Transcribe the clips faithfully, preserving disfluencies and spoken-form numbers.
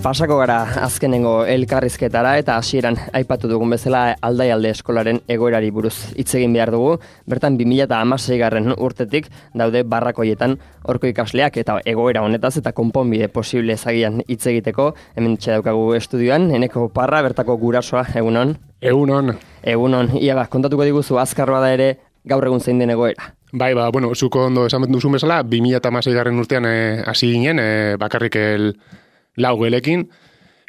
Pasako gara azkenengo elkarrizketara eta hasieran aipatu dugun bezala Aldaialde eskolaren egoerari buruz hitz egin behar dugu. Bertan bi mila hamaseigarren urtetik daude barrakoietan horko ikasleak eta egoera honetaz eta konponbide posible ezagian hitz egiteko. Hemen daukagu estudioan, Eneko Parra, bertako gurasoa, egunon. Egunon. Egunon. Ia ba, kontatuko diguzu azkar bada ere gaur egun zein den egoera. Bai, ba, bueno, zuko ondo esan duzun bezala, bi mila hamaseigarren urtean hasi eh, ginen, eh, bakarrik el lau gelekin,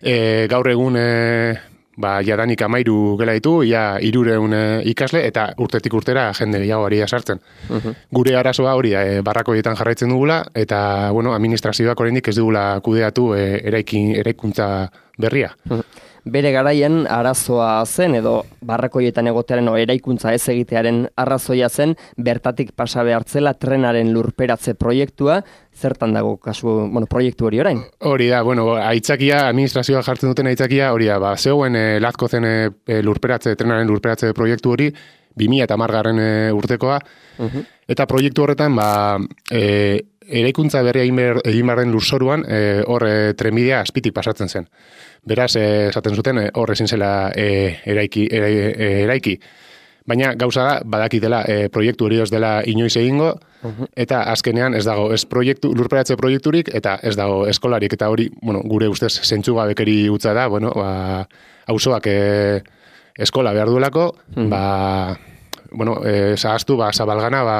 e, gaur egun e, ba, jadanik amairu gela ditu, ja irureun e, ikasle, eta urtetik urtera jende gehiago ari da sartzen. Uh-huh. Gure arazoa hori da, e, barrakoietan jarraitzen dugula, eta bueno, administrazioak oraindik ez dugula kudeatu e, eraikin, eraikuntza berria. Uh-huh. Bere garaian arazoa zen edo barrakoietan egotearen o eraikuntza ez egitearen arrazoia zen bertatik pasa behartzela trenaren lurperatze proiektua. Zertan dago kasu, bueno, proiektu hori orain? Hori da, bueno, aitzakia, administrazioa jartzen duten aitzakia, hori da, ba, zegoen e, lazko zen e, lurperatze, trenaren lurperatze proiektu hori, bi mila hamargarren e, urtekoa, uh-huh. Eta proiektu horretan, ba, e, eraikuntza berria egin behar den lurzoruan, e, hor e, trenbidea azpitik pasatzen zen. Beraz, esaten zuten, hor ezin zela e, eraiki, e, e, eraiki. Baina gauza da, badakitela e, proiektu hori ez dela inoiz egingo, uh-huh. Eta azkenean ez dago ez proiektu, lurperatze proiekturik, eta ez dago eskolarik, eta hori, bueno, gure ustez zentzugabekeri utza da, bueno, ba, auzoak e, eskola behar duelako, uh-huh. Ba, bueno, e, zahaztu, ba, Zabalgana, ba,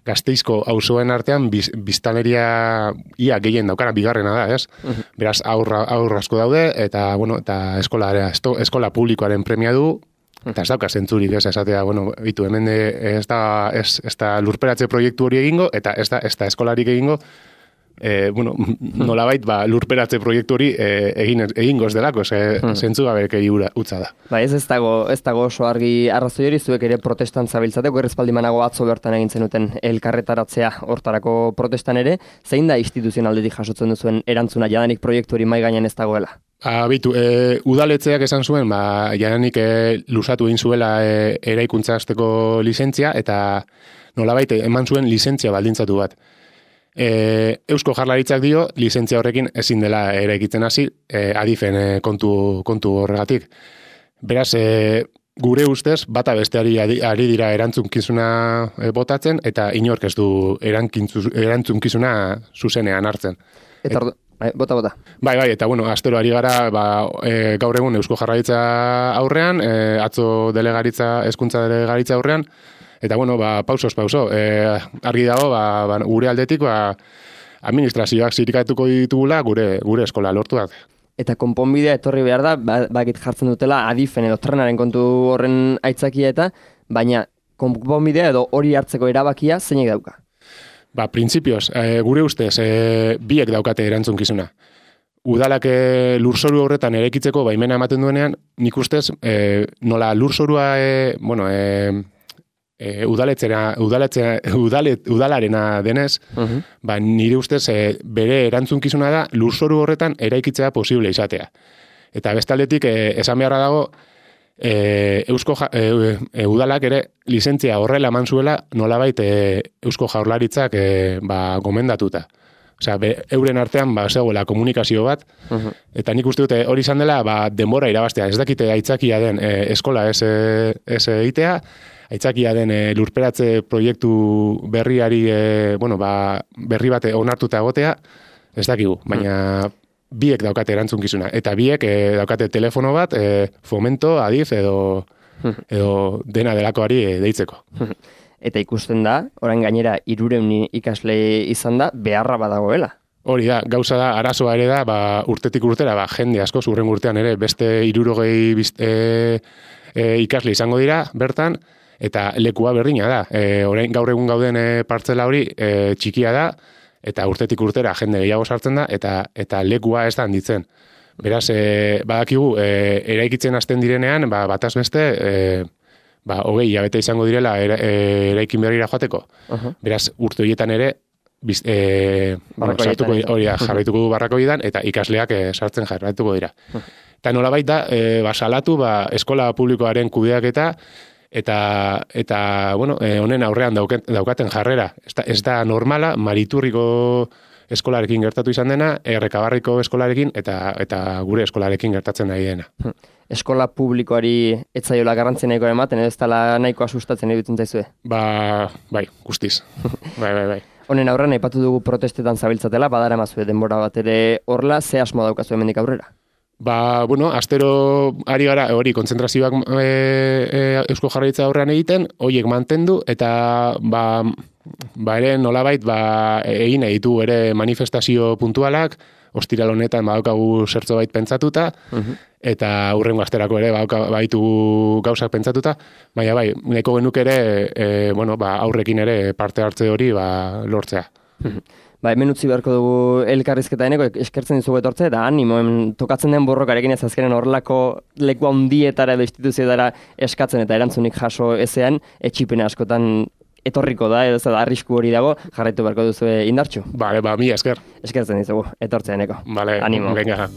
Gasteizko auzoen artean biz, biztanleria ia gehien daukana bigarrena da, ez? Uh-huh. Beraz, aurra, aurra asko daude, eta, bueno, eta eskola, esto, eskola publikoaren premia du, eta ez dauka zentzurik, ez, esatea, bueno, bitu, hemen de, ez, da, ez, ez da lurperatze proiektu hori egingo, eta ez da, ez da eskolarik egingo, e, bueno, nolabait, ba, lurperatze proiektu hori e, egin, egingo ez delako, ze, zentzu gabek utza da. Ba, ez ez dago, ez dago oso argi arrazoi hori, zuek ere protestan zabiltzateko, errezpaldimanago atzo bertan egin zenuten elkarretaratzea hortarako protestan ere, zein da instituzionaldetik jasotzen duzuen erantzuna jadanik proiektu hori mai gainean ez dagoela? Abitu, e, udaletzeak esan zuen, ba, jadanik e, lusatu egin zuela e, eraikuntza hasteko lizentzia, eta nolabait eman zuen lizentzia baldintzatu bat. E, Eusko Jaurlaritzak dio, lizentzia horrekin ezin dela eraikitzen hasi, e, adifen e, kontu, kontu horregatik. Beraz, e, gure ustez, bata besteari ari dira erantzunkizuna e, botatzen, eta inork ez du erantzunkizuna zuzenean hartzen. Eta ordu, bai, bota, bota. Bai, bai, eta bueno, astero ari gara, ba, e, gaur egun Eusko Jaurlaritza aurrean, e, atzo delegaritza, hezkuntza delegaritza aurrean, eta bueno, ba, pausos pauso, e, argi dago, ba, ba, gure aldetik, ba, administrazioak zirikatuko ditugula gure gure eskola lortuak. Eta konponbidea etorri behar da, ba, bakit jartzen dutela adifen edo trenaren kontu horren aitzakia eta, baina konponbidea edo hori hartzeko erabakia zeinek dauka? Ba, printzipioz, e, gure ustez, e, biek daukate erantzunkizuna. Udalak e, lurzoru horretan eraikitzeko baimena ematen duenean, nik ustez, e, nola lurzorua, e, bueno, e, E, udaletzera, udaletzera, udalet, udalarena denez, uh-huh. Ba, nire ustez e, bere erantzunkizuna da lurzoru horretan eraikitzea posible izatea. Eta bestaldetik e, esan beharra dago e, Eusko ja, e, e, udalak ere lizentzia horrela eman zuela nolabait e, Eusko Jaurlaritzak e, ba, gomendatuta. Osea, be, euren artean ba, zegoela komunikazio bat, uh-huh. Eta nik uste dute hori izan dela ba, denbora irabaztea. Ez dakite aitzakia den e, eskola ez, ez egitea, aitzakia den e, lurperatze proiektu berriari, e, bueno, ba, berri bate onartuta egotea, ez dakigu, baina biek daukate erantzunkizuna. Eta biek e, daukate telefono bat, e, Fomento, Adif edo, edo dena delakoari e, deitzeko. Eta ikusten da, orain gainera hirureun ikasle izan da, beharra badagoela. Hori da, gauza da, arazoa ere da, ba, urtetik urtera, ba, jende asko, urren urtean ere, beste hirurogei e, e, ikasle izango dira, bertan, eta lekua berdina da. E, orain gaur egun gauden e, partzela hori e, txikia da, eta urtetik urtera jende gehiago sartzen da, eta eta lekua ez da handitzen. Beraz, e, badakigu, e, eraikitzen hasten direnean, ba, bataz beste, e, ba, hogei hilabete izango direla era, e, eraikin berrira joateko. Uh-huh. Beraz, urte horietan ere, biz, e, bueno, sartuko, hori da, jarraituko du barrakoietan, eta ikasleak e, sartzen jarraituko dira. Uh-huh. Eta nolabait da, e, ba, salatu, ba, eskola publikoaren kudeaketa, eta eta bueno, honen aurrean dauken, daukaten jarrera. Ez da, ez da normala, Mariturriko eskolarekin gertatu izan dena, Errekabarriko eskolarekin eta eta gure eskolarekin gertatzen nahi dena. Eskola publikoari etzaiola garrantzi nahiko ematen, ez dela nahikoa sustatzen iruditzen zaizue? Ba, bai, guztiz. bai, bai, bai. Honen aurrean aipatu dugu protestetan zabiltzatela, badara mazue denbora bat ere horla, ze asmo daukazu hemendik aurrera? Ba, bueno, astero ari gara, hori, kontzentrazioak e, e, Eusko Jaurlaritza aurrean egiten, horiek mantendu, eta ba, ba ere nolabait, ba, egin ditu ere manifestazio puntualak, ostiral honetan badaukagu zertzo bait pentsatuta, uh-huh. eta hurrengo asterako ere baitu gauzak pentsatuta, baina bai, nahiko genuke ere, e, bueno, ba, aurrekin ere parte hartze hori ba, lortzea. Uh-huh. Ba, hemen utzi beharko dugu elkarrizketa eneko, eskertzen dizugu etortzea, eta animo, hemen tokatzen den borrokarekin ez azkenen horrelako leku handietara edo instituzioetara eskatzen eta erantzunik jaso ezean, etxipena askotan etorriko da, edo da arrisku hori dago, jarraitu beharko duzu indartxu. Bale, ba, mi esker. Eskertzen dizugu, etortzea eneko. Bale, animo. Venga.